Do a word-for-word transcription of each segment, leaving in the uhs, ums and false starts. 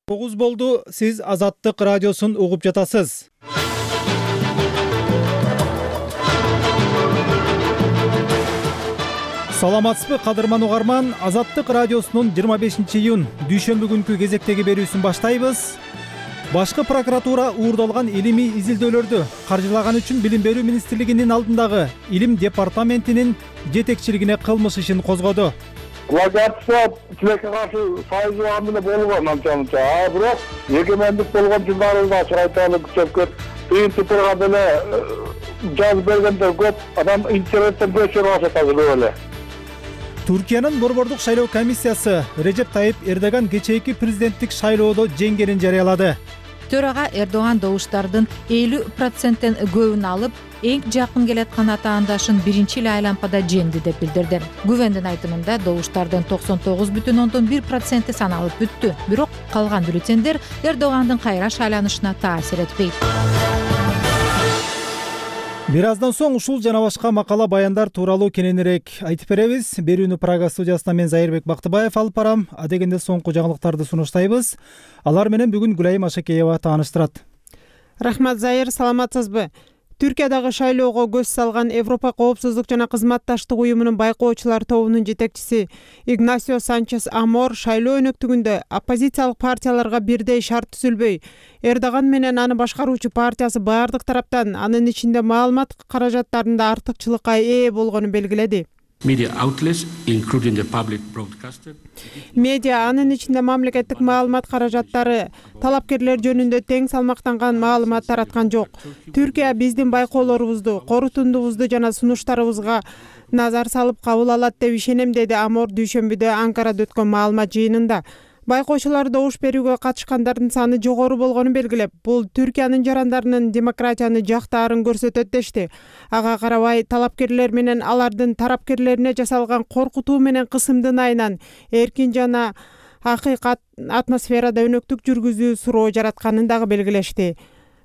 тогуз болду. Сиз Азаттык радиосун угуп жатасыз. Саламатсызбы кадырман угарман? Азаттык радиосунун жыйырма бешинчи июнь дүйшөмбү күнкү кезектеги берүүсүн баштайбыз. Башкы прокуратура уурдалган илимий изилдөөлөрдү каржылаган үчүн Билим берүү министрлигинин алдындагы илим департаментинин жетекчилигине кылмыш ишин козгоду. Плагиатчылар тилекке каршы сайыган менен болгон анча-мынча. А бирок эгемендик болгон жылдарыбызда ачык айталы көчөп принцип турган эле жазып бергендер көп. Адам интернеттен көчөрүп алса тазалап эле. Түркиянын борбордук шайлоо комиссиясы Режеп Тайип Эрдоган кечээки президенттик шайлоодо жеңгенин жарыялады. Төрага Эрдоган добуштардын элүү проценттен көбүн алып, эң жакын келаткан атаандашын биринчи эле айлампада жеңди деп билдирди. Гүвендин айтымында добуштардын токсон тогуз бүтүн ондон бир проценти саналып бүттү. Бирок калган бюллетендер Эрдогандын кайра шайланышына таасир этпейт. Бир аздан соң ушул жана башка макала баяндар тууралуу кененирээк айтып беребиз. Берүүнү Прага студиясынан мен Зайырбек Бактыбаев алып барам. Адегенде соңку жаңылыктарды сунуштайбыз. Алар менен бүгүн Гүлайым Ашакеева тааныштырат. Рахмат Зайыр, саламатсызбы? Түркиядагы шайлоого көз салган Европа коопсуздук жана кызматташтык уюмунун байкоочулар тобунун жетекчиси Игнасио Санчес Амор шайлоо өнөктүгүндө оппозициялык партияларга бирдей шарт түзүлбөй, Эрдоган менен аны башкаруучу партиясы баардык тараптан, анын ичинде маалымат каражаттарында артыкчылыкка ээ болгонун белгиледи. Media outlets, including the public broadcaster. Медиа, анын ичинде мамлекеттик маалымат каражаттары талапкерлер жөнүндө тең салмактанган маалымат тараткан жок. Түркия биздин байкоолорубузду, корутундубузду жана сунуштарыбызга назар салып кабыл алат деп ишенем, деди Амор дүйшөмбүдө Анкарада өткөн маалымат жыйынында. Байкоочулар добуш берүүгө катышкандардын саны жогору болгонун белгилеп, бул Түркиянын жарандарынын демократияны жактаарын көрсөтөт дешти. Ага карабай, талапкерлер менен алардын тарапкерлерине жасалган коркутуу менен кысымдын айынан эркин жана акыйкат атмосферада өнөктүк жүргүзүү суроо жаратканын дагы белгилешти.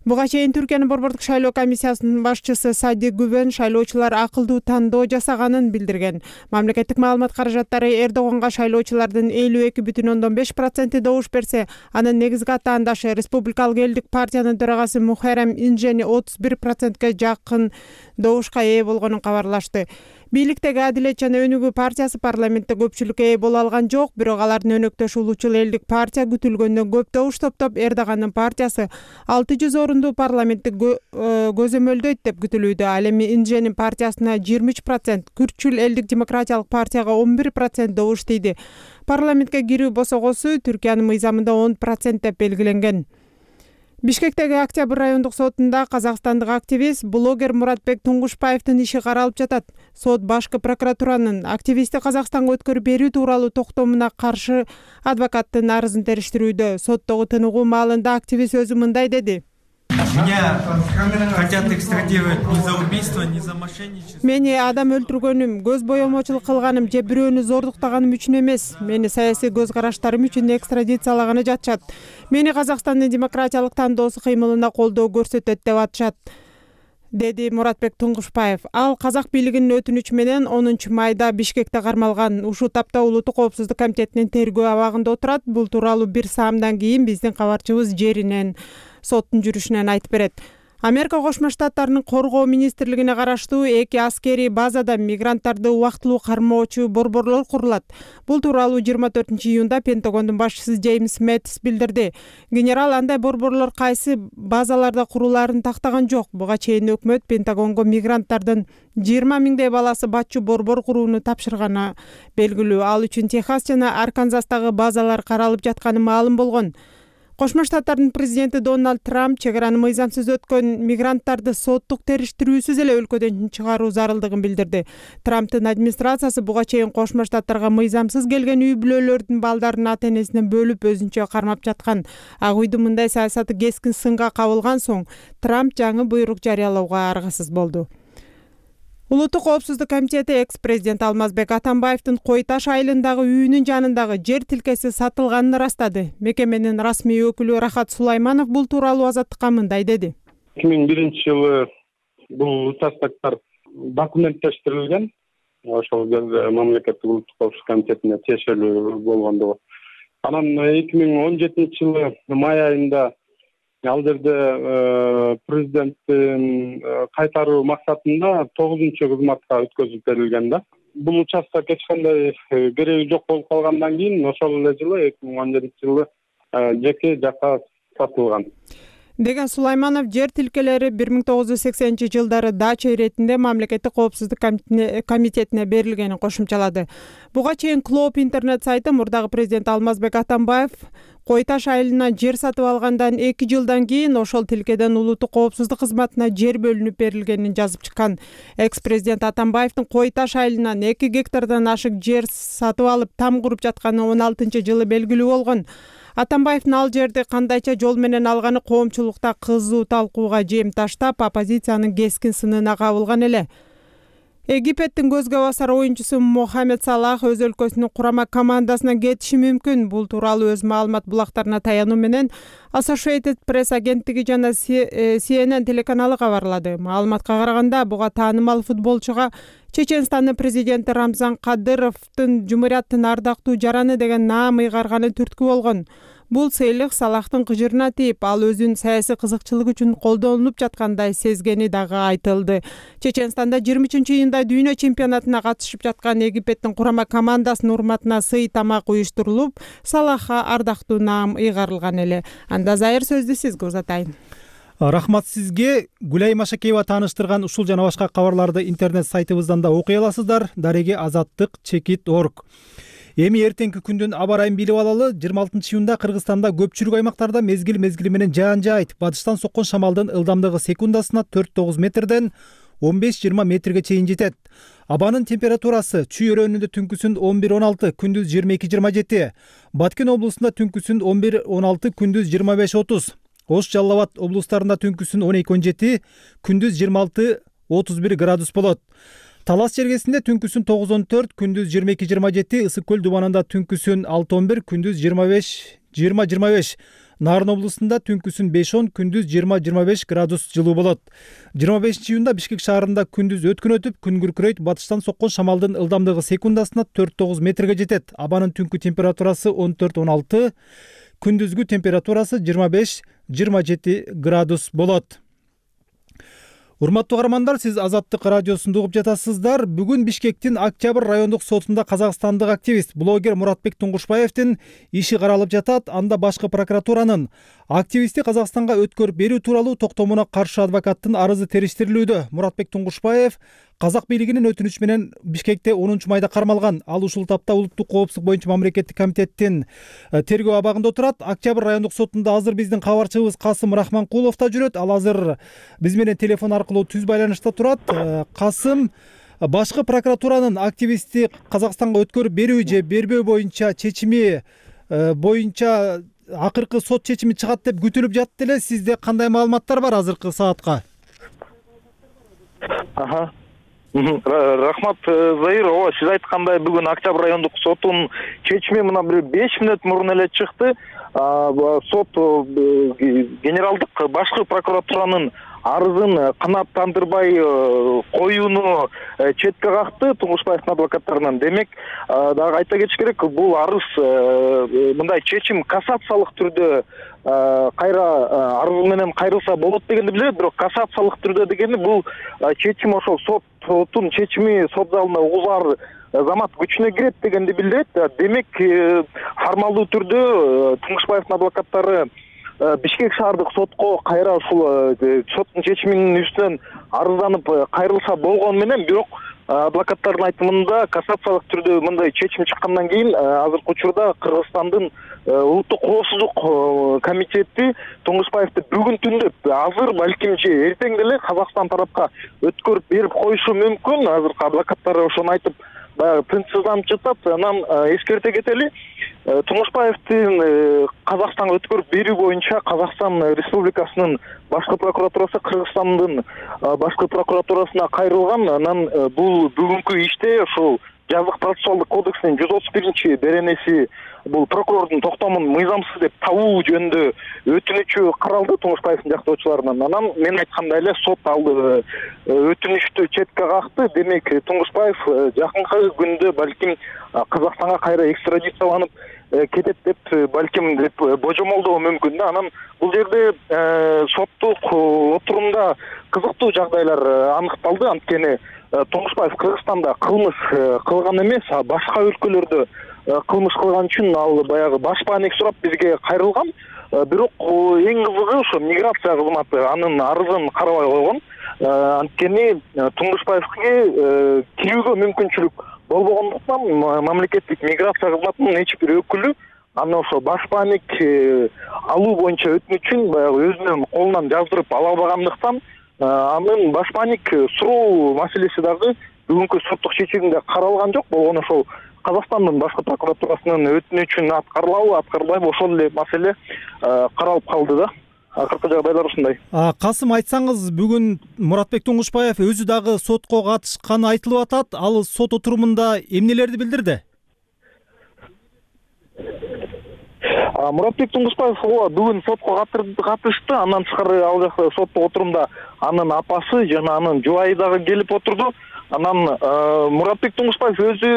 Буга чейин Түркиянын борбордук шайлоо комиссиясынын башчысы Сади Гүвен шайлоочулар акылдуу тандоо жасаганын билдирген. Мамлекеттик маалымат каражаттары Эрдоганга шайлоочулардын элүү эки бүтүн ондон беш проценти добуш берсе, анын негизги атаандашы Республикалык элдик партиянын төрагасы Мухеррем Инжени отуз бир процентке жакын добушка ээ болгонун кабарлашты. Бийликтеги Адилет жана Өнүгүү партиясы парламентте көпчүлүккө ээ боло алган жок, бирок алардын өнөктөшү Улуучул элдик партия күтүлгөндөн көп добуш топтоп, Эрдогандын партиясы алты жүз орунду парламентти көзөмөлдөйт деп күтүлүүдө. Ал эми Инженин партиясына жыйырма үч процент, Күртчүл элдик демократиялык партияга он бир процент добуш тийди. Парламентке кирүү босогосу Түркиянын мыйзамында он процент деп белгиленген. Бишкектеги Октябрь райондук сотунда казакстандык активист, блогер Муратбек Туңгушбаевдин иши каралып жатат. Сот башкы прокуратуранын активистти Казакстанга өткөрүп берүү тууралуу токтомуна каршы адвокаттын арызын териштирүүдө. Соттогу тыныгуу маалында активист өзү мындай деди. Меня хотят экстрадировать не за убийство, не за мошенничество. Мени адам өлтүргөнүм, көз боемочулук кылганым же бирөөнү зордуктаганым үчүн эмес. Мени саясий көз караштарым үчүн экстрадициялаганы жатышат. Мени Казакстандын демократиялык тандоосу кыймылына колдоо көрсөтөт деп атышат, деди Муратбек Туңгушбаев. Ал казак бийлигинин өтүнүчү менен онунчу майда Бишкекте кармалган. Ушул тапта Улуттук коопсуздук комитетинин тергөө абагында отурат. Бул тууралуу бир саамдан кийин биздин кабарчыбыз жеринен соттун жүрүшүнөн айтып берет. Америка Кошмо Штаттарынын коргоо министрлигине караштуу эки аскерий базада мигранттарды убактылуу кармоочу борборлор курулат. Бул тууралуу жыйырма төртүнчү июнда Пентагондун башчысы Джеймс Мэттис билдирди. Генерал андай борборлор кайсы базаларда курулаарын тактаган жок. Буга чейин өкмөт Пентагонго мигранттардын жыйырма миңдей баласы батчу борбор курууну тапшырганы белгилүү. Ал үчүн Техас жана Арканзастагы базалар каралып жатканы маалым болгон. Кошмо Штаттардын президенти Дональд Трамп чек араны мыйзамсыз өткөн мигранттарды соттук териштирүүсүз эле өлкөдөн чыгаруу зарылдыгын билдирди. Трамптын администрациясы буга чейин Кошмо Штаттарга мыйзамсыз келген үй бүлөлөрдүн балдарын ата-энесинен бөлүп өзүнчө кармап жаткан. Ак үйдүн мындай саясаты кескин сынга кабылган соң Трамп жаңы буйрук жарыялоого аргасыз болду. Улуттук коопсуздук комитети экс-президент Алмазбек Атамбаевдин Кой Таш айылындагы үйүнүн жанындагы жер тилкеси сатылганын ырастады. Мекеменин расмий өкүлү Рахат Сулайманов бул тууралуу Азаттыкка мындай деди. эки миң биринчи жылы бул участоктор документтештирилген. Ошол кезде мамлекеттик улуттук коопсуздук комитетине тиешелүү болгондугу Анан эки миң он жетинчи жылы май айында ал жерде президенттин кайтаруу максатында тогузунчу кызматка өткөзүп берилген да. Бул участок эч кандай кереги жок болуп калгандан кийин ошол эле жылы эки миң он жетинчи жылы жеке жакка сатылган деген Сулайманов жер тилкелери бир миң тогуз жүз сексенинчи жылдары дача иретинде мамлекеттик коопсуздук комитетине берилгенин кошумчалады. Буга чейин Клоп интернет сайты мурдагы президент Алмазбек Атамбаев Кой Таш айылынан жер сатып алгандан эки жылдан кийин ошол тилкеден улуттук коопсуздук кызматына жер бөлүнүп берилгенин жазып чыккан. Экс-президент Атамбаевдин Кой Таш айылынан эки гектардан ашык жер сатып алып там куруп жатканы он алтынчы жылы белгилүү болгон. Атамбаевдин ал жерди кандайча жол менен алганы коомчулукта кызуу талкууга жем таштап, оппозициянын кескин сынына кабылган эле. Египеттин көзгө басар оюнчусу Мохамед Салах өз өлкөсүнүн курама командасынан кетиши мүмкүн. Бул тууралуу өз маалымат булактарына таянуу менен Associated Press агенттиги жана Си Эн Эн телеканалы кабарлады. Маалыматка караганда, буга таанымал футболчуга Чеченстандын президенти Рамзан Кадыровдун Жумурияттын ардактуу жараны деген наам ыйгарганы түрткү болгон. Бул сыйлык Салахтын кыжырына тийип, ал өзүнүн саясий кызыкчылык үчүн колдонулуп жаткандай сезгени дагы айтылды. Чеченстанда жыйырма үчүнчү июнда дүйнө чемпионатына катышып жаткан Египеттин курама командасынын урматына сый тамак уюштурулуп, Салахка ардактуу наам ыйгарылган эле. Анда Зайыр сөздү сизге узатайын. Рахмат сизге. Гүлай Машакеева тааныштырган ушул жана башка кабарларды интернет сайтыбыздан да окуй аласыздар. Дареги азаттык чекит точка орг. Эми эртеңки күндүн аба ырайын билип алалы. жыйырма алтынчы июнда Кыргызстанда көпчүлүк аймактарда мезгил мезгили менен жаан жаайт. Батыштан соккон шамалдын ылдамдыгы секундасына төрт тогуз метрден он беш жыйырма метрге чейин жетет. Абанын температурасы Чүй өрөөнүндө түнкүсүн он бир он алты, күндүз жыйырма эки жыйырма жети. Баткен облусунда түнкүсүн он бир он алты, күндүз жыйырма беш отуз. Ош Жалал Абад облустарында түнкүсүн он эки он жети, күндүз жыйырма алты отуз бир градус болот. Талас чергесинде түнкүсүн тогуз он төрт, күндүз жыйырма эки жыйырма жети, Ысык көл дубанында түнкүсүн алты он бир, күндүз жыйырма беш жыйырма жыйырма беш. Нарын облусунда түнкүсүн беш он, күндүз жыйырма жыйырма беш градус жылуу болот. жыйырма бешинчи июнда Бишкек шаарында күндүз өткөн өтүп, күн күркүрөйт. Батыштан соккон шамалдын ылдамдыгы секундасына төрт тогуз метрге жетет. Абанын түнкү температурасы он төрт он алты, күндүзгү температурасы жыйырма беш жыйырма жети градус болот. Урматтуу каармандар, сиз Азаттык радиосунда угуп жатасыздар. Бүгүн Бишкектин Октябрь райондук сотунда казакстандык активист, блогер Муратбек Туңгушбаевдин иши каралып жатат. Анда башкы прокуратуранын активистти Казакстанга өткөрүп берүү тууралуу токтомуна каршы адвокаттын арызы териштирилүүдө. Муратбек Туңгушбаев казак бийлигинин өтүнүчү менен Бишкекте онунчу майда кармалган. Ал ушул тапта улуттук коопсуздук боюнча мамлекеттик комитеттин тергөө абагында отурат. Октябрь райондук сотунда азыр биздин кабарчыбыз Касым Рахманкулов да жүрөт. Ал азыр биз менен телефон аркылуу түз байланышта турат. Касым, башкы прокуратуранын активистти Казакстанга өткөрүп берүү же бербөө боюнча чечими боюнча акыркы сот чечими чыгат деп күтүлүп жатты эле. Сизде кандай маалыматтар бар азыркы саатка? Аха. Рахмат, Заир. Ооба, сиз айткандай бүгүн Октябрь райондук сотунун чечими мына бир беш мүнөт мурун эле чыкты. Сот генералдык башкы прокуратуранын арызын канааттандырбай коюуну четке какты Туңгушбаевдин адвокаттарынан. Демек, дагы айта кетиш керек, бул арыз мындай чечим кассациялык түрдө кайра арыз менен кайрылса болот дегенди билдирет. Бирок кассациялык түрдө дегени бул чечим ошол соттун чечими сот залында угузар замат күчүнө кирет дегенди билдирет. Демек, формалдуу түрдө Туңгушбаевдин адвокаттары Бишкек шаардык сотко кайра ушул соттун чечиминин үстүнөн арызданып кайрылса болгону менен, бирок адвокаттардын айтымында кассациялык түрдө мындай чечим чыккандан кийин азыркы учурда Кыргызстандын улуттук коопсуздук комитети Туңгушбаевди бүгүн түндө азыр балким же эртең деле Казакстан тарапка өткөрүп берип коюшу мүмкүн. Азыркы адвокаттар ошону айтып баягы тынчсызданып жатат. Анан эскерте кетели, Туңгушбаевдин Казакстанга өткөрүп берүү боюнча Казакстан Республикасынын башкы прокуратурасы Кыргызстандын башкы прокуратурасына кайрылган. Анан бул бүгүнкү иште ошол жазык процессуалдык кодексинин жүз отуз биринчи беренеси, бул прокурордун токтомун мыйзамсыз деп табуу жөнүндө өтүнүчү каралды Туңгушбаевдин жактоочуларынан. Анан мен айткандай эле сот ал өтүнүчтү четке какты. Демек, Туңгушбаев жакынкы күндө балким Казакстанга кайра экстрадицияланып кетет деп балким деп божомолдоо мүмкүн да. Анан бул жерде соттук отурумда кызыктуу жагдайлар аныкталды. Анткени Туңгушбаев Кыргызстанда кылмыш кылган эмес, башка өлкөлөрдө кылмыш кылган үчүн ал баягы баш бааник сурап бизге кайрылган. Бирок эң кызыгы ошо миграция кызматы анын арызын карабай койгон. Анткени Туңгушбаевге кирүүгө мүмкүнчүлүк болбогондуктан мамлекеттик миграция кызматынын эч бир өкүлү аны ошо баш бааник алуу боюнча өтүнүчүн баягы өзүнүн колунан жаздырып ала албагандыктан анын баш бааник суроо маселеси дагы бүгүнкү соттук чечимде каралган жок. Болгону ошол Казакстандын башкы прокуратурасынын өтүнүчүн аткарылабы, аткарылбайбы ошол эле маселе каралып калды да. Акыркы жагдайлар ушундай. Касым, айтсаңыз, бүгүн Муратбек Туңгушбаев өзү дагы сотко катышканы айтылып атат. Ал сот отурумунда эмнелерди билдирди? Муратбек Туңгушбаев бүгүн сотко катышты. Андан тышкары ал жакта соттук отурумда анын апасы жана анын жубайы дагы келип отурду. Анан Муратбек Туңгушбаев өзү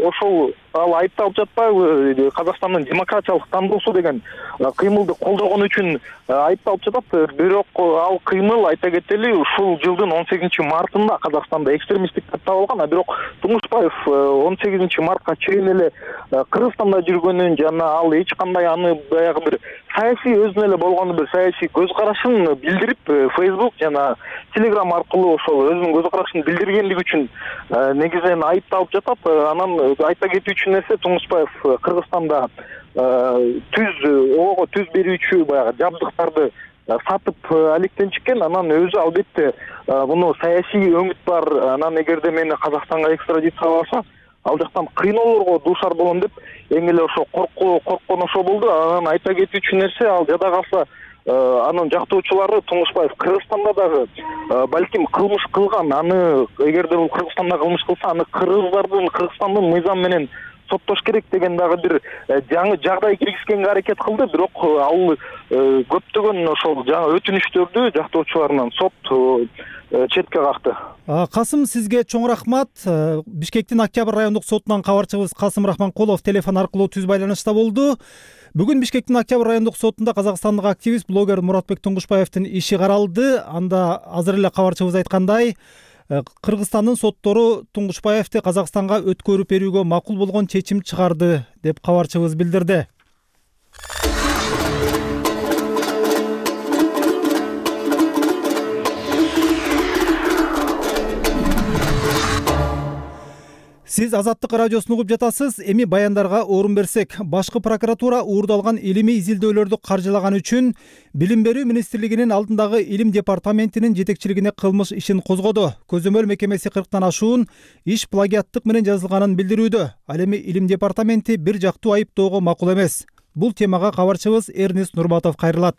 ошол ал айыпталып жатпайбы, Казакстандын демократиялык тандоосу деген кыймылды колдогон үчүн айыпталып жатат. Бирок ал кыймыл, айта кетели, ушул жылдын он сегизинчи мартында Казакстанда экстремисттик деп табылган. А бирок Туңгушбаев он сегизинчи мартка чейин эле Кыргызстанда жүргөнүн жана ал эч кандай аны баягы бир саясий өзүнө эле болгон бир саясий көз карашын билдирип Facebook жана Telegram аркылуу ошол өзүнүн көз карашын билдиргендиги үчүн негизинен айыпталып жатат. Анан айта кетүүчү нерсе, Туңгушбаев Кыргызстанда түз ого түз берүүчү баягы жабдыктарды сатып алектенчикен. Анан өзү албетте муну саясий өңүт бар. Анан эгерде мени Казакстанга экстрадицияласа, ал жактан кыйноолорго дуушар болом деп эң эле ошо коркуу корккон ошо болду. Анан айта кетүүчү нерсе, ал жада калса анын жактоочулары Туңгушбаев Кыргызстанда дагы балким кылмыш кылган. Аны эгерде бул Кыргызстанда кылмыш кылса, аны кыргыздардын Кыргызстандын мыйзамы менен соттош керек деген дагы бир жаңы жагдай киргизгенге аракет кылды. Бирок ал көптөгөн ошол жаңы өтүнүчтөрдү жактоочуларынан сот четке какты. Касым, сизге чоң рахмат. Бишкектин Октябрь райондук сотунан кабарчыбыз Касым Рахманкулов телефон аркылуу түз байланышта болду. Бүгүн Бишкектин Октябрь райондук сотунда казакстандык активист, блогер Муратбек Туңгушбаевдин иши каралды. Анда азыр эле кабарчыбыз айткандай, Кыргызстандын соттору Туңгушбаевди Казакстанга өткөрүп берүүгө макул болгон чечим чыгарды деп кабарчыбыз билдирди. Сиз Азаттык радиосун угуп жатасыз. Эми баяндарга орун берсек, башкы прокуратура уурдалган илимий изилдөөлөрдү каржылаган үчүн Билим берүү министрлигинин алдындагы илим департаментинин жетекчилигине кылмыш ишин козгоду. Көзөмөл мекемеси кырктан ашуун иш плагиаттык менен жазылганын билдирүүдө. Ал эми илим департаменти бир жактуу айыптоого макул эмес. Бул темага кабарчыбыз Эрнест Нурматов кайрылат.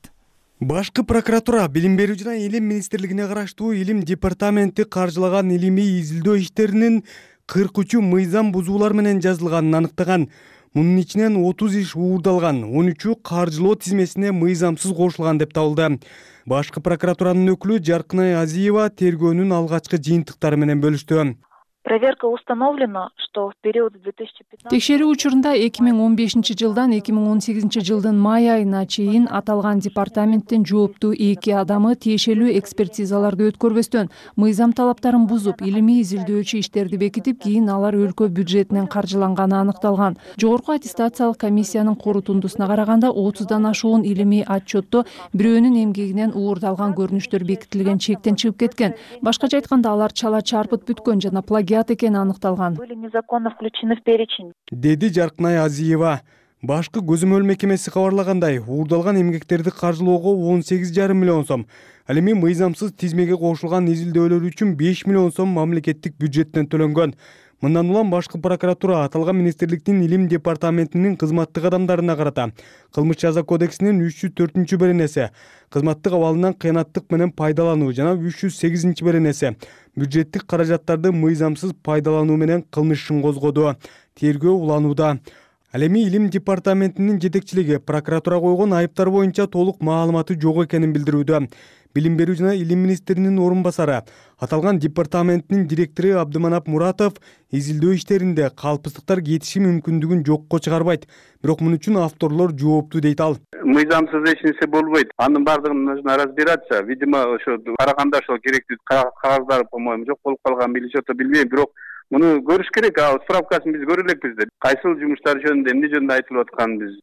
Башкы прокуратура Билим берүү жана илим министрлигине караштуу илим департаменти каржылаган илимий изилдөө иштеринин кырк үчү мыйзам бузуулар менен жазылганын аныктаган. Мунун ичинен отуз иш уурдалган, он үчү каржылоо тизмесине мыйзамсыз кошулган деп табылды. Башкы прокуратуранын өкүлү Жаркынай Азиева тергөөнүн алгачкы жыйынтыктары менен бөлүштү. Проверка установлена, что в период две тысячи пятнадцатого Текшерүү учурунда эки миң он бешинчи жылдан эки миң он сегизинчи жылдын май айына чейин аталган департаменттин жооптуу эки адамы тиешелүү экспертизаларды өткөрбөстөн мыйзам талаптарын бузуп, илимий изилдөөчү иштерди бекитип, кийин алар өлкө бюджетинен каржыланганы аныкталган. Жогорку аттестациялык комиссиянын корутундусуна караганда отуздан ашуун илимий отчетто бирөөнүн эмгегинен уурдалган көрүнүштөр бекитилген чектен чыгып кеткен. Башкача айтканда, алар чала чарпыт бүткөн жана плагиат экени аныкталган. были незаконно включены в перечень. Деди Жаркынай Азиева. Башкы көзөмөл мекемеси кабарлагандай, уурдалган эмгектерди каржылоого он сегиз жарым миллион сом, ал эми мыйзамсыз тизмеге кошулган изилдөөлөр үчүн беш миллион сом мамлекеттик бюджеттен төлөнгөн. Мындан улам башкы прокуратура аталган министрликтин илим департаментинин кызматтык адамдарына карата кылмыш жаза кодексинин үч жүз төртүнчү беренеси, кызматтык абалынан кыянаттык менен пайдалануу жана үч жүз сегизинчи беренеси, бюджеттик каражаттарды мыйзамсыз пайдалануу менен кылмыш ишин козгоду. Тергөө уланууда. Ал эми илим департаментинин жетекчилиги прокуратура койгон айыптар боюнча толук маалыматы жок экенин билдирүүдө. Билим берүү жана илим министринин орун басары, аталган департаменттин директору Абдыманап Муратов изилдөө иштеринде калпсыздыктар кетиши мүмкүндүгүн жокко чыгарбайт. Бирок мун үчүн авторлор жооптуу дейт ал. Мыйзамсыз эч нерсе болбойт. Анын баардыгын нужно разбираться. Видимо, ошо караганда ошол керектүү кагаздары, по-моему, жок болуп калган, билиши ото билбейм, бирок муну көрүш керек. Ал справкасын биз көрө элекпиз да. Кайсыл жумуштар жөнүндө, эмне жөнүндө айтылып атканын биз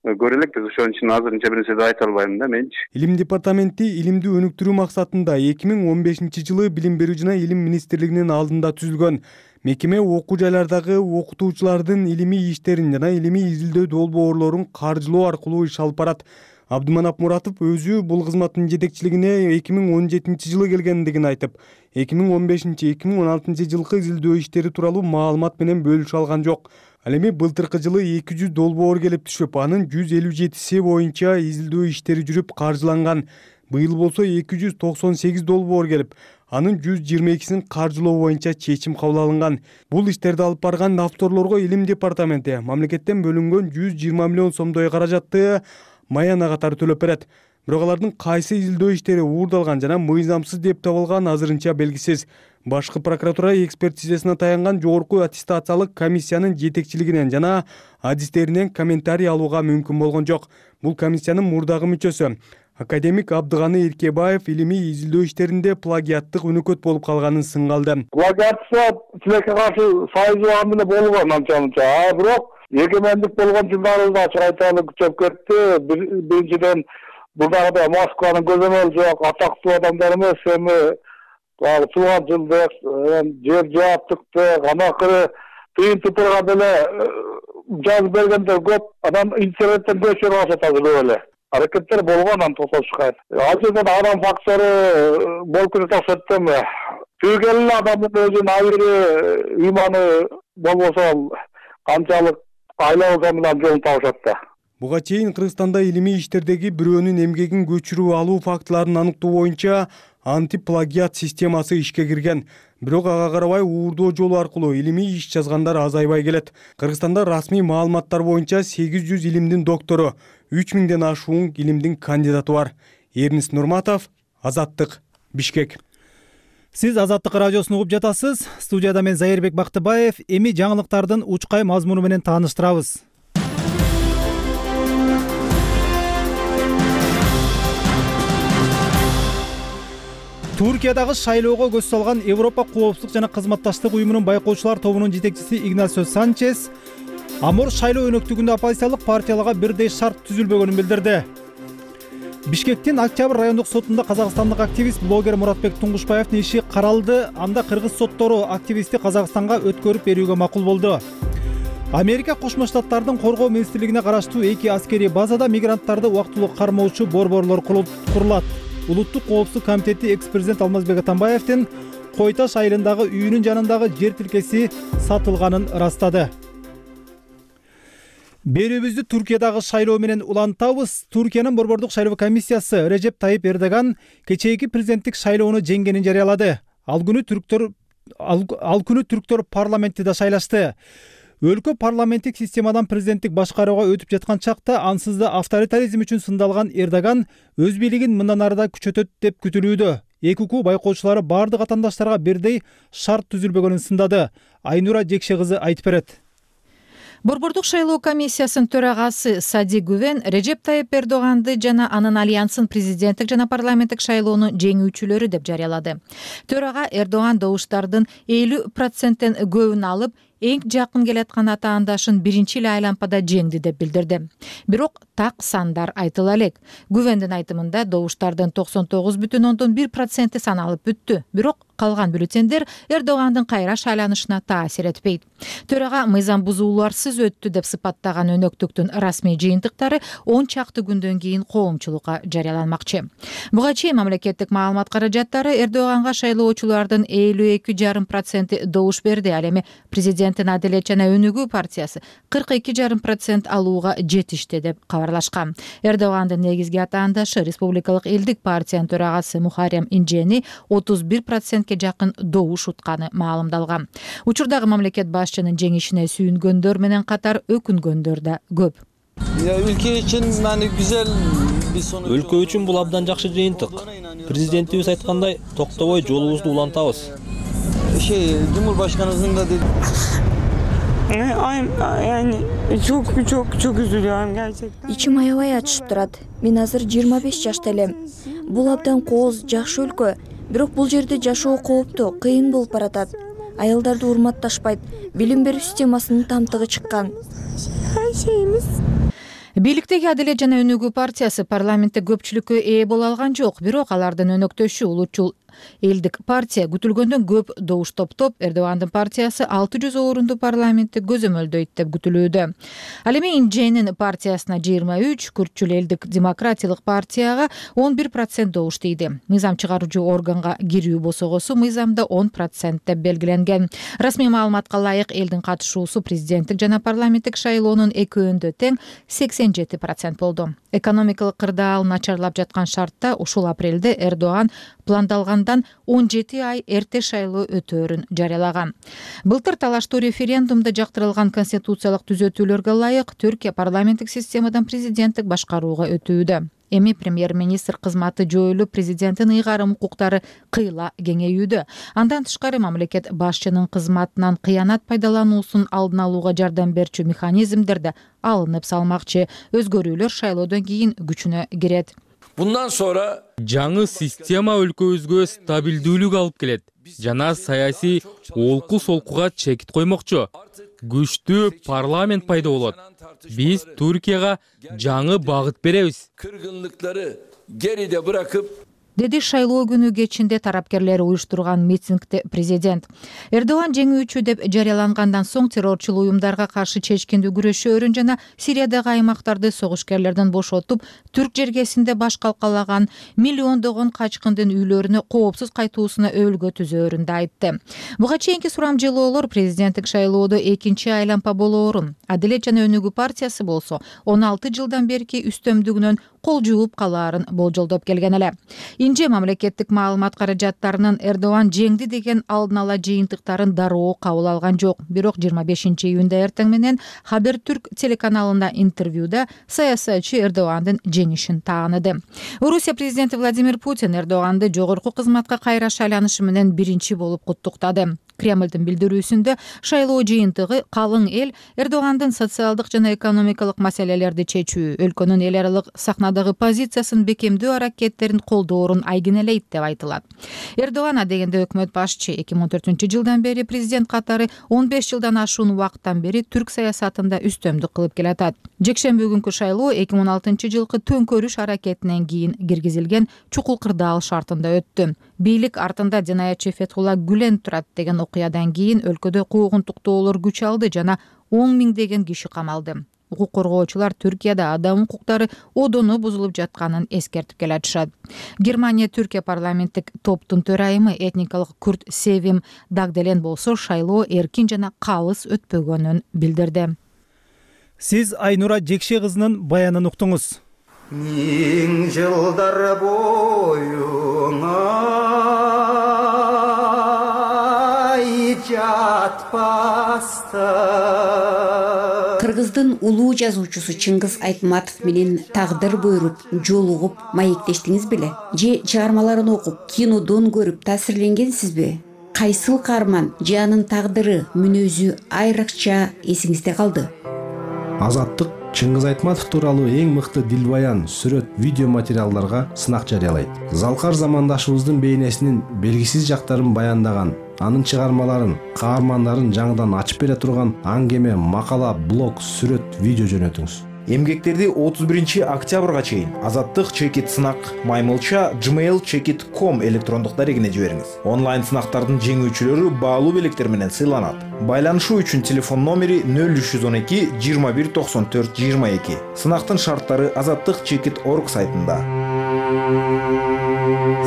көрө элекпиз. Ошон үчүн азырынча бир нерсе айта албайм да менчи. Илим департаменти илимди өнүктүрүү максатында эки миң он бешинчи жылы Билим берүү жана илим министрлигинин алдында түзүлгөн. Мекеме окуу жайлардагы окутуучулардын илимий иштерин жана илимий изилдөө долбоорлорун каржылоо аркылуу иш алып барат. Абдыманап Муратов өзү бул кызматтын жетекчилигине эки миң он жетинчи жылы келгендигин айтып, эки миң он бешинчи эки миң он алтынчы жылкы изилдөө иштери тууралуу маалымат менен бөлүшө алган жок. Ал эми былтыркы жылы эки жүз долбоор келип түшүп, анын жүз элүү жетиси боюнча изилдөө иштери жүрүп каржыланган. Быйыл болсо эки жүз токсон сегиз долбоор келип, анын жүз жыйырма экисин каржылоо боюнча чечим кабыл алынган. Бул иштерди алып барган авторлорго илим департаменти мамлекеттен бөлүнгөн жүз жыйырма миллион сомдой каражатты маяна катары төлөп берет. Бирок алардын кайсы изилдөө иштери уурдалган жана мыйзамсыз деп табылган азырынча белгисиз. Башкы прокуратура экспертизасына таянган жогорку аттестациялык комиссиянын жетекчилигинен жана адистеринен комментарий алууга мүмкүн болгон жок. Бул комиссиянын мурдагы мүчөсү академик Абдыганы Эркебаев илимий изилдөө иштеринде плагиаттык өнөкөт болуп калганын сынга алды. Плагиатса тилекке каршы сайыз багам менен болгон анча-мынча. А бирок эгемендик болгон жылдарыбызда ачык айталы күчөп кетти. Биринчиден бурдагыдай Москванын көзөмөлү жок, атактуу адамдар эмес, эми туулган жылдык, жер жаптыктык, анакыры тыйын тупурга деле жазып бергендер көп. Анан интернеттен көчүрүп алышат азыр эле. Аракеттер болгон анан тосошка. Ал жерден адам фактору болуп кетет окшойт да. Түйгөн адамдын өзүнүн айры ыйманы болбосо канчалык айла болсо менен жолун табышат да. Буга чейин Кыргызстанда илимий иштердеги бирөөнүн эмгегин көчүрүп алуу фактыларын аныктоо боюнча антиплагиат системасы ишке кирген. Бирок ага карабай уурдоо жолу аркылуу илимий иш жазгандар азайбай келет. Кыргызстанда расмий маалыматтар боюнча сегиз жүз илимдин доктору, үч миңден ашуун илимдин кандидаты бар. Эрнис Нурматов, Азаттык, Бишкек. Сиз Азаттык радиосун угуп жатасыз. Студияда мен Зайырбек Бактыбаев. Эми жаңылыктардын учкай мазмуну менен тааныштырабыз. Туркиядагы шайлоого көз салган Европа коопсуздук жана кызматташтык уюмунун байкоочулар тобунун жетекчиси Игнасио Санчес Амор шайлоо өнөктүгүндө оппозициялык партияларга бирдей шарт түзүлбөгөнүн билдирди. Бишкектин Октябрь райондук сотунда казакстандык активист блогер Муратбек Туңгушбаевдин иши каралды. Анда кыргыз соттору активистти Казакстанга өткөрүп берүүгө макул болду. Америка Кошмо Штаттардын коргоо министрлигине караштуу эки аскерий базада мигранттарды убактылуу кармоочу борборлор курулат. Улуттук коопсуздук комитети экс-президент Алмазбек Атамбаевдин Кой Таш айылындагы үйүнүн жанындагы жер тилкеси сатылганын ырастады. Берүүбүздү Туркиядагы шайлоо менен улантабыз. Туркиянын борбордук шайлоо комиссиясы Режеп Тайип Эрдоган кечээки президенттик шайлоону жеңгенин жарыялады. Ал күнү түрктөр ал, ал күнү түрктөр парламентти да шайлашты. Өлкө парламенттик системадан президенттик башкарууга өтүп жаткан чакта ансыз да авторитаризм үчүн сындалган Эрдоган өз бийлигин мындан ары да күчөтөт деп күтүлүүдө. Эки укук байкоочулары бардык атаандаштарга бирдей шарт түзүлбөгөнүн сындады. Айнура Жекше кызы айтып берет. Борбордук шайлоо комиссиясынын төрагасы Сади Гүвен Режеп Тайип Эрдоганды жана анын альянсын президенттик жана парламенттик шайлоонун жеңүүчүлөрү деп жарыялады. Төрага Эрдоган добуштардын элүү проценттен көбүн алып, эң жакын келаткан атаандашын биринчи эле айлампада жеңди деп билдирди. Бирок так сандар айтыла элек. Гүвендин айтымында добуштардын токсон тогуз бүтүн ондон бир проценти саналып бүттү. Бирок калган бюллетендер Эрдогандын кайра шайланышына таасир этпейт. Төрага мыйзам бузууларсыз өттү деп сыпаттаган өнөктүктүн расмий жыйынтыктары он чакты күндөн кийин коомчулукка жарыяланмакчы. Буга чейин мамлекеттик маалымат каражаттары Эрдоганга шайлоочулардын элүү эки жарым проценти добуш берди. Ал эми президент президенттин Адилет жана Өнүгүү партиясы кырк эки жарым процент алууга жетишти деп кабарлашкан. Эрдогандын негизги атаандашы республикалык элдик партиянын төрагасы Мухаррем Инжени отуз бир процентке жакын добуш утканы маалымдалган. Учурдагы мамлекет башчынын жеңишине сүйүнгөндөр менен катар өкүнгөндөр да көп. Ülke için yani güzel bir sonuç. Өлкө үчүн бул абдан жакшы жыйынтык. Президентибиз айткандай, токтобой жолубузду улантабыз. Şey, Cumhurbaşkanımızın da dedi. Yani çok çok çok üzülüyorum gerçekten. İçim аябай ачышып турат. Мен азыр жыйырма беш жашта элем. Бул абдан кооз, жакшы өлкө. Бирок бул жерде жашоо кооптуу, кыйын болуп баратат. Аялдарды урматташпайт. Билим берүү системасынын тамтыгы чыккан. Her şeyimiz. Бийликтеги Адилет жана Өнүгүү партиясы парламентте көпчүлүккө ээ боло алган жок, бирок алардын өнөктөшү улутчул элдик партия күтүлгөндөн көп добуш топтоп, Эрдогандын партиясы алты жүз орунду парламентти көзөмөлдөйт деп күтүлүүдө. Ал эми Инженин партиясына жыйырма үч, күртчүл элдик демократиялык партияга он бир процент добуш тийди. Мыйзам чыгаруучу органга кирүү босогосу мыйзамда он процент деп белгиленген. Расмий маалыматка ылайык элдин катышуусу президенттик жана парламенттик шайлоонун экөөндө тең сексен жети процент болду. Экономикалык кырдаал начарлап жаткан шартта ушул апрелде Эрдоган пландалгандан он жети ай эрте шайлоо өтөөрүн жарыялаган. Былтыр талаштуу референдумда жактырылган конституциялык түзөтүүлөргө ылайык Түркия парламенттик системадан президенттик башкарууга өтүүдө. Эми премьер-министр кызматы жоюлуп, президенттин ыйгарым укуктары кыйла кеңейүүдө. Андан тышкары мамлекет башчынын кызматынан кыянат пайдалануусун алдын алууга жардам берчү механизмдер да алынып салмакчы. Өзгөрүүлөр шайлоодон кийин күчүнө кирет. Bundan sonra жаңы система өлкөбүзгө стабилдүүлүк алып келет жана саясий олку солкуга чекит коймокчу. Күчтүү парламент пайда болот. Биз Түркияга жаңы багыт беребиз. Кыргынлыктары geride bırakıp деди шайлоо күнү кечинде тарапкерлер уюштурган митингде президент. Эрдоган жеңүүчү деп жарыялангандан соң террорчул уюмдарга каршы чечкиндүү күрөшөөрүн жана Сириядагы аймактарды согушкерлерден бошотуп, түрк жергесинде баш калкалаган миллиондогон качкындын үйлөрүнө коопсуз кайтуусуна өбөлгө түзөөрүн да айтты. Буга чейинки сурамжылоолор президенттик шайлоодо экинчи айлампа болоорун, Адилет жана Өнүгүү партиясы болсо он алты жылдан берки үстөмдүгүнөн кол жууп калаарын болжолдоп келген эле. Инже мамлекеттик маалымат каражаттарынын Эрдоган жеңди деген алдын ала жыйынтыктарын дароо кабыл алган жок. Бирок жыйырма бешинчи июнда эртең менен Хабертүрк телеканалында интервьюда саясатчы Эрдогандын жеңишин тааныды. Орусия президенти Владимир Путин Эрдоганды жогорку кызматка кайра шайланышы менен биринчи болуп куттуктады. Кремлдин билдирүүсүндө шайлоо жыйынтыгы калың эл Эрдогандын социалдык жана экономикалык маселелерди чечүү, өлкөнүн эл аралык сахнадагы позициясын бекемдөө аракеттерин колдоорун айгинелейт деп айтылат. Эрдоган адегенде өкмөт башчы эки миң он төртүнчү жылдан бери президент катары он беш жылдан ашуун убакыттан бери түрк саясатында үстөмдүк кылып келатат. Жекшемби күнкү шайлоо эки миң он алтынчы жылкы төңкөрүш аракетинен кийин киргизилген чукул кырдаал шартында өттү. Бийлик артында жинаятчы Фетхулла Гүлен турат деген окуядан кийин өлкөдө куугунтуктоолор күч алды жана он миңдеген киши камалды. Укук коргоочулар Түркияда адам укуктары одону бузулуп жатканын эскертип келатышат. Германия Түркия парламенттик топтун төрайымы этникалык күрт Севим Дагделен болсо шайлоо эркин жана калыс өтпөгөнүн билдирди. Сиз Айнура Жекше кызынын баянын уктуңуз. Миң жылдар боюңа жатпаста. Кыргыздын улуу жазуучусу Чыңгыз Айтматов менен тагдыр буйруп, жолугуп, маектештиңиз беле? Же чыгармаларын окуп, кинодон көрүп таасирленгенсизби? Кайсыл каарман же анын тагдыры, мүнөзү айрыкча эсиңизде калды? Азаттык Чыңгыз Айтматов тууралуу эң мыкты дилбаян, сүрөт, видео материалдарга сынак жарыялайт. Залкар замандашыбыздын бейнесинин белгисиз жактарын баяндаган, анын чыгармаларын, каармандарын жаңыдан ачып бере турган аңгеме, макала, блог, сүрөт, видео жөнөтүңүз. Эмгектерди отуз биринчи октябрга чейин Азаттык чекит сынак маймылча gmail чекит точка ком электрондук дарегине жибериңиз. Онлайн сынактардын жеңүүчүлөрү баалуу белектер менен сыйланат. Байланышуу үчүн телефон номери нөл үч жүз он эки жыйырма бир токсон төрт жыйырма эки. Сынактын шарттары азаттык чекит точка орг сайтында.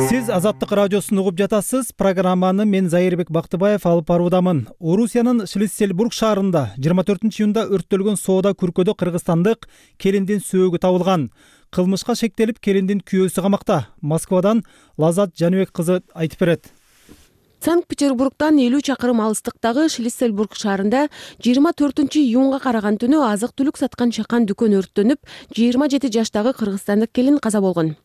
Сиз Азаттык радиосун угуп жатасыз. Программаны мен Зайырбек Бактыбаев алып баруудамын. Орусиянын Шлиссельбург шаарында жыйырма төртүнчү июнда өрттөлгөн соода күркөдө кыргызстандык келиндин сөөгү табылган. Кылмышка шектелип келиндин күйөөсү камакта. Москвадан Лазат Жаныбек кызы айтып берет. Санкт-Петербургдан элүү чакырым алыстыктагы Шлиссельбург шаарында жыйырма төртүнчү июнга караган түнү азык-түлүк саткан чакан дүкөн өрттөнүп, жыйырма жети жаштагы кыргызстандык келин каза болгон.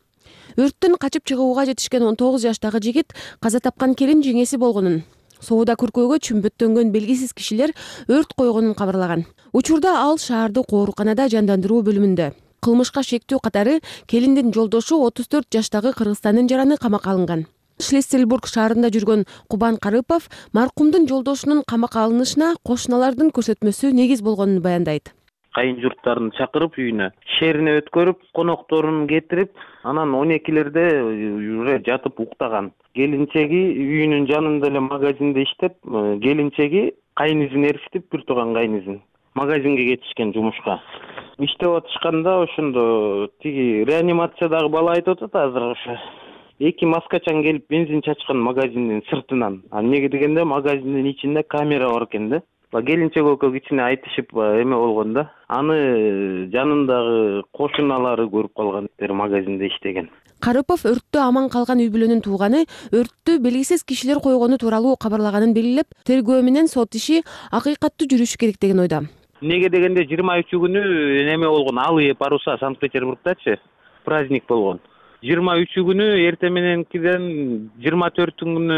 Өрттөн качып чыгууга жетишкен он тогуз жаштагы жигит каза тапкан келин жеңеси болгонун, соода күркөөгө чүмбөттөнгөн белгисиз кишилер өрт койгонун кабарлаган. Учурда ал шаардык ооруканада жандандыруу бөлүмүндө. Кылмышка шектүү катары келиндин жолдошу отуз төрт жаштагы Кыргызстандын жараны камакка алынган. Шлиссельбург шаарында жүргөн Кубан Карыпов маркумдун жолдошунун камакка алынышына кошуналардын көрсөтмөсү негиз болгонун баяндайт. Кайын журттарын чакырып үйүнө шерине өткөрүп, конокторун кетирип, анан он экилерде уже жатып уктаган. Келинчеги үйүнүн жанында эле магазинде иштеп, келинчеги кайын изин эрситип, бир тууган кайын изин магазинге кетишкен жумушка. Иштеп атышканда ошондо тиги реанимациядагы бала айтып атат азыр ошо. Эки маскачан келип бензин чачкан магазиндин сыртынан. А эмнеге дегенде магазиндин ичинде камера бар экен да. Келинчек экөө кичине айтышып эме болгон да. Аны жанындагы кошуналары көрүп калган, магазинде иштеген. Карыпов өрттө аман калган үй бүлөнүн тууганы өрттү белгисиз кишилер койгону тууралуу кабарлаганын белгилеп, тергөө менен сот иши акыйкаттуу жүрүшү керек деген ойдо. Эмнеге дегенде жыйырма үчү күнү неме болгон, алые паруса Санкт-Петербургдачы праздник болгон. жыйырма үчү күнү эрте мененкиден жыйырма төртү күнү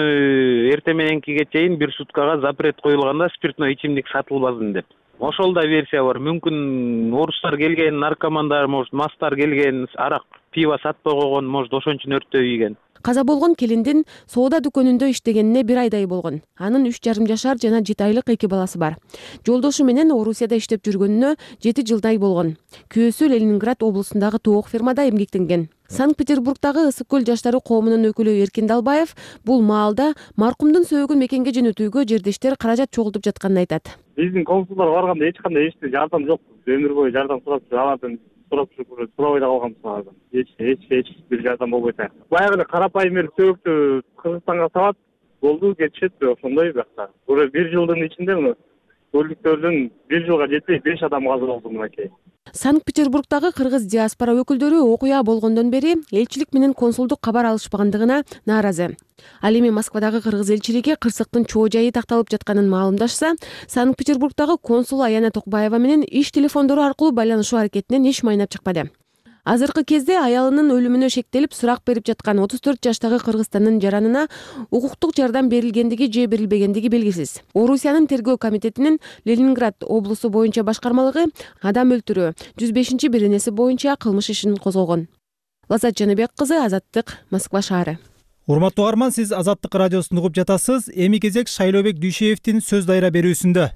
эрте мененкиге чейин бир суткага запрет коюлганда спиртной ичимдик сатылбасын деп. Ошол да версия бар. Мүмкүн орустар келген, наркомандар, может, мастар келген, арак, пиво сатпай койгон, может, ошон үчүн өрттөө ийген. Каза болгон келиндин соода дүкөнүндө иштегенине бир айдай болгон. Анын үч жарым жашар жана жети айлык эки баласы бар. Жолдошу менен Орусияда иштеп жүргөнүнө жети жылдай болгон. Күйөөсү Ленинград облусундагы тоок фирмада эмгектенген. Санкт-Петербургдагы Ысык көл жаштары коомунун өкүлү Эркин Далбаев бул маалда маркумдун сөөгүн мекенге жөнөтүүгө жердештер каражат чогултуп жатканын айтат. Биздин консулдар барганда эч кандай эч жардам жок. Өмүр бою жардам сурап алардан сурап жүрүп сурабай да калганбыз алардан. Эч эч эч бир жардам болбойт. Баягы эле карапайым эле сөөгүктү Кыргызстанга салат, болду, кетишет, ошондой бакта. Уже бир жылдын ичинде мына көлүктөрдүн бир жылга жетпей беш адам каза болду мынакей. Санкт-Петербургдагы кыргыз диаспора өкүлдөрү окуя болгондон бери элчилик менен консулдук кабар алышпагандыгына нааразы. Ал эми Москвадагы кыргыз элчилиги кырсыктын чоо жайы такталып жатканын маалымдашса, Санкт-Петербургдагы консул Аяна Токбаева менен иш телефондору аркылуу байланышуу аракетинен эч майнап чыкпады. Азыркы кезде аялынын өлүмүнө шектелип сурак берип жаткан отуз төрт жаштагы Кыргызстандын жаранына укуктук жардам берилгендиги же берилбегендиги белгисиз. Орусиянын тергөө комитетинин Ленинград облусу боюнча башкармалыгы адам өлтүрүү жүз бешинчи беренеси боюнча кылмыш ишин козгогон. Лазат Жаныбек кызы, Азаттык, Москва шаары. Урматтуу угарман, сиз Азаттык радиосун угуп жатасыз. Эми кезек Шайлообек Дүйшеевдин сөз дайра берүүсүндө.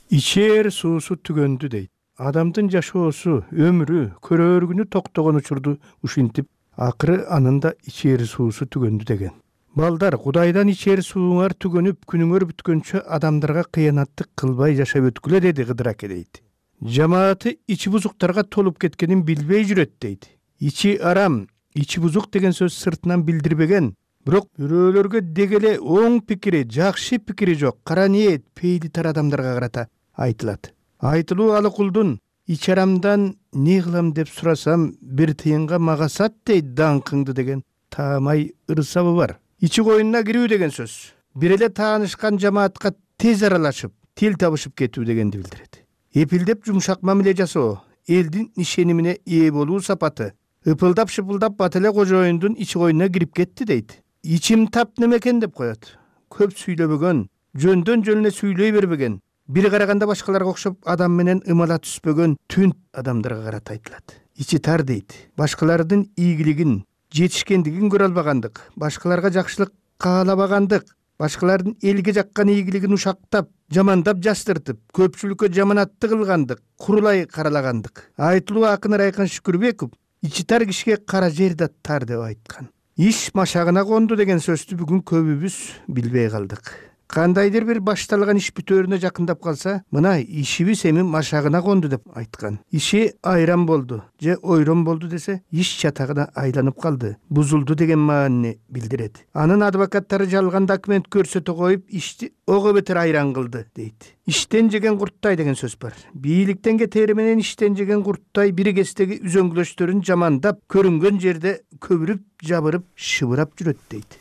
Ичээр суусу түгөндү дейт. Адамдын жашоосу, өмүрү, көрөөргүнү токтогон учурду ушинтип, акыры анын да ичээр суусу түгөндү деген. Балдар, Кудайдан ичээр сууңар түгөнүп, күнүңөр бүткөнчө адамдарга кыянаттык кылбай жашап өткүлө деди Кыдыр аке дейт. Жамааты ичи бузуктарга толуп кеткенин билбей жүрөт дейт. Ичи арам, ичи бузук деген сөз сыртынан билдирбеген, бирок бирөөлөргө дегеле оң пикири, жакшы пикири жок, кара ниет, пейли тар адамдарга карата айтылат. Айтылуу алы кулдун ич арамдан не кылам деп сурасам бир тыйынга мага сат дейт даңкыңды деген таамай ырсабы бар. Ичи коюнуна кирүү деген сөз бир эле таанышкан жамаатка тез аралашып, тил табышып кетүү дегенди билдирет. Эпилдеп жумшак мамиле жасоо, элдин ишенимине ээ болуу сапаты, ыпылдап шыпылдап бат эле кожоюндун ичи коюнуна кирип кетти дейт. Ичим тап немекен деп коет. Көп сүйлөбөгөн, жөндөн жөнүнө сүйлөй бербеген, бир караганда башкаларга окшоп адам менен ымала түспөгөн түн адамдарга карата айтылат. Ичи тар дейт. Башкалардын ийгилигин, жетишкендигин көрө албагандык, башкаларга жакшылык каалабагандык, башкалардын элге жаккан ийгилигин ушактап, жамандап жастыртып, көпчүлүккө жаманатты кылгандык, курулай каралагандык. Айтылуу акын Райкын Шүкүрбеков ичи тар кишиге кара жер да тар деп айткан. Иш машагына конду деген сөздү бүгүн көбүбүз билбей калдык. кандайдыр бир башталган иш бүтөөрүнө жакындап калса, мына ишибиз эми машагына конду деп айткан. Иши айран болду же ойрон болду десе, иш чатагына айланып калды, бузулду деген маанини билдирет. Анын адвокаттары жалган документ көрсөтө коюп, ишти ого бетер айран кылды дейт. Иштен жеген курттай деген сөз бар. Бийликтен кетери менен иштен жеген курттай бир кездеги үзөңгүлөштөрүн жамандап, көрүнгөн жерде көбүрүп, жабырып, шыбырап жүрөт дейт.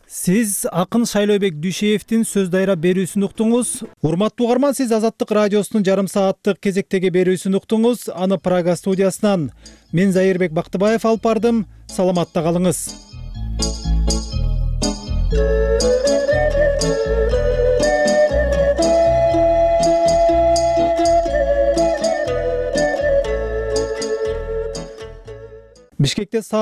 Сиз акын Шайлообек Дүйшеевдин сөз дайра берүүсүн уктуңуз. Урматтуу угарман, сиз Азаттык радиосунун жарым сааттык кезектеги берүүсүн уктуңуз. Аны Прага студиясынан мен Зайырбек Бактыбаев алып бардым. Саламатта калыңыз. Бишкекте